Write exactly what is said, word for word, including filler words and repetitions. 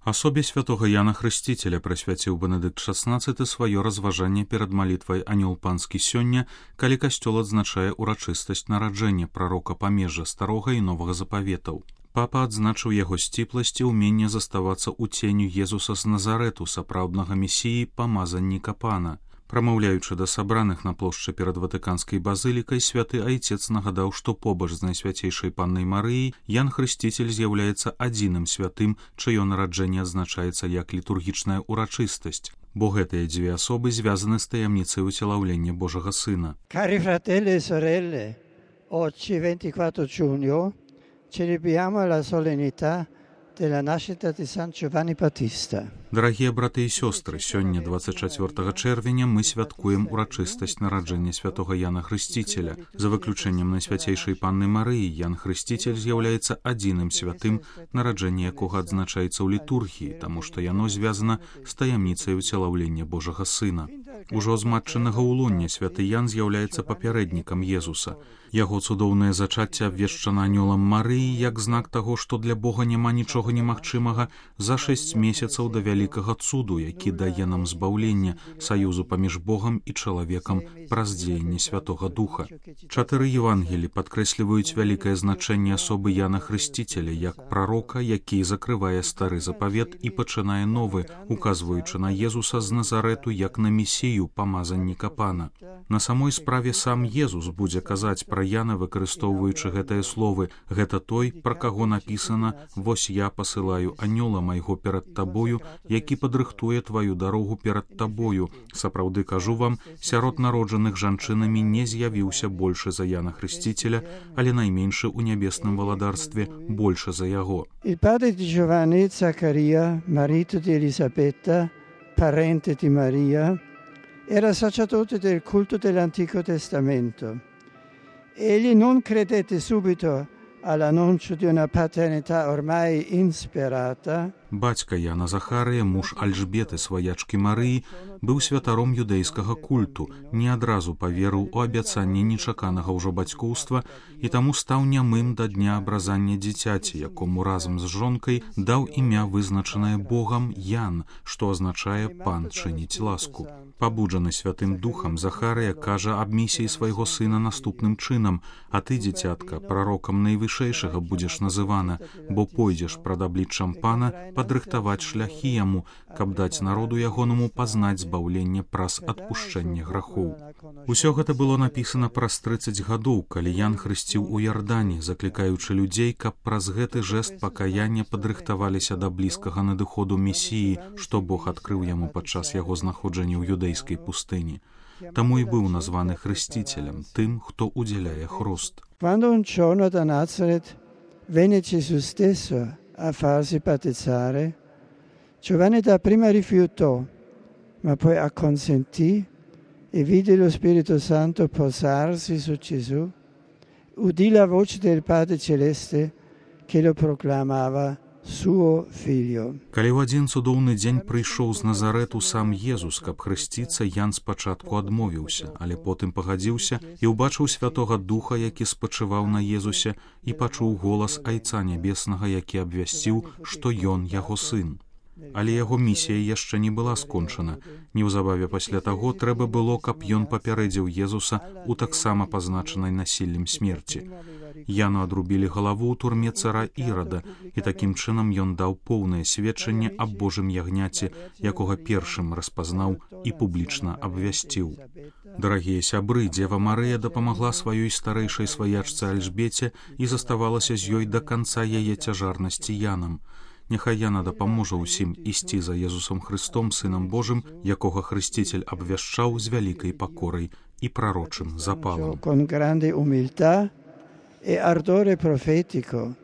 Асобе святога Яна Хрысціцеля прысвяціў Бенедыкт шаснаццаты сваё разважанне перад малітвай «Анёл панскі» сёння, калі касцёл адзначае ўрачыстасць нараджэння прарока памежжа старога і новага запаветаў. Папа адзначыў яго сціпласць і ўменне заставацца ў ценю Езуса з Назарэту, сапраўднага месіі, памазанніка пана. Прамаўляючы да сабраных на плошчы перад Ватыканскай базылікай, святы айцец нагадаў, што побач з найсвяцейшай паннай Марыяй Ян Хрысціцель з'яўляецца адзіным святым, чыё нараджэнне адзначаецца як літургічная ўрачыстасць, бо гэтыя дзве асобы звязаны з таямніцай уцелаўлення Божага Сына. Cari fratelli e sorelle, oggi ventiquattro giugno celebriamo la solennità della nascita di San Giovanni Battista. Дарагія браты і сёстры, сёння дваццаць чацвёртага чэрвеня мы святкуем урачыстасць нараджэння святога Яна Хрысціцеля. За выключэннем найсвяцейшай панны Марыі, Ян Хрысціцель з'яўляецца адзіным святым, нараджэнне якога адзначаецца ў літургіі, таму што яно звязана з таямніцай уцелаўлення Божага Сына. Ужо з матчынага ўлоння святы Ян з'яўляецца папярэднікам Езуса. Яго цудоўнае зачацце абвешчана анёлам Марыі як знак таго, што для Бога няма нічога немагчымага, за шэсць месяцаў да вялікага цуду, які дае нам збаўлення, саюзу паміж Богам і чалавекам праз дзеянне Святога Духа. Чатыры Евангелі падкрэсліваюць вялікае значэнне асобы Яна Хрысціцеля як прарока, які закрывае стары запавет і пачынае новы, указваючы на Езуса з Назарэту як на месію, памазанніка пана. На самой справе сам Езус будзе казаць пра Яна, выкарыстоўваючы гэтыя словы: «Гэта той, пра каго напісана: вось я пасылаю анёла майго перад табою, які падрыхтуе тваю дарогу перад табою. Сапраўды кажу вам, сярод народжаных жанчынамі не з'явіўся большы за Яна Хрысціцеля, але найменшы ў нябесным валадарстве большы за яго». Il padre di Giovanni, Zaccaria, marito di Elisabetta, parente di Maria, era sacerdote del culto dell'Antico Testamento. Egli non credette subito all'annuncio di una paternità ormai insperata. Бацька Яна Захарыя, муж Альжбеты, сваячкі Марыі, быў святаром юдэйскага культу, не адразу паверыў у абяцанне нечаканага ўжо бацькоўства і таму стаў нямым да дня абразання дзіцяці, якому разам з жонкай даў імя, вызначанае Богам, Ян, што азначае «пан чыніць ласку». Пабуджаны Святым Духам, Захарыя кажа аб місіі свайго сына наступным чынам: «А ты, дзіцятка, прарокам найвышэйшага будзеш называна, бо пойдзеш прад абліччам пана падрыхтаваць шляхі яму, каб даць народу ягонаму пазнаць збаўленне праз адпушчэнне грахоў». Усё гэта было напісана праз трыццаць гадоў, калі Ян хрысціў у Ярдане, заклікаючы людзей, каб праз гэты жэст пакаяння падрыхтаваліся да блізкага надыходу месіі, што Бог адкрыў яму падчас яго знаходжання ў юдэйскай пустыні. Таму і быў названы хрысціцелем, тым, хто удзяляе хруст. Quando un giorno da Nazareth venne Gesù stesso a farsi battezzare, Giovanni dapprima rifiutò, ma poi acconsentì e vide lo Spirito Santo posarsi su Gesù, udì la voce del Padre Celeste che lo proclamava suo figlio. Калі ў адзін цудоўны дзень прыйшоў з Назарэту сам Езус, каб хрысціцца, Ян спачатку адмовіўся, але потым пагадзіўся і ўбачыў Святога Духа, які спачываў на Езусе, і пачуў голас Айца Нябеснага, які абвясціў, што ён яго сын. Але яго місія яшчэ не была скончана. Неўзабаве пасля таго трэба было, каб ён папярэдзіў Езуса у таксама пазначанай насіллем смерці. Яну адрубілі галаву ў турме цара Ірада, і такім чынам ён даў поўнае сведчанне аб Божым ягняце, якога першым распазнаў і публічна абвясціў. Дарагія сябры, Дзева Марыя дапамагла сваёй старэйшай сваячцы Альжбеце і заставалася з ёй да канца яе цяжарнасці Янам. Няхай Яна дапаможа ўсім ісці за Езусом Хрыстом, Сынам Божым, якога Хрысціцель абвяшчаў з вялікай пакорай і прарочым запалам. Con grande umiltà e ardore profetico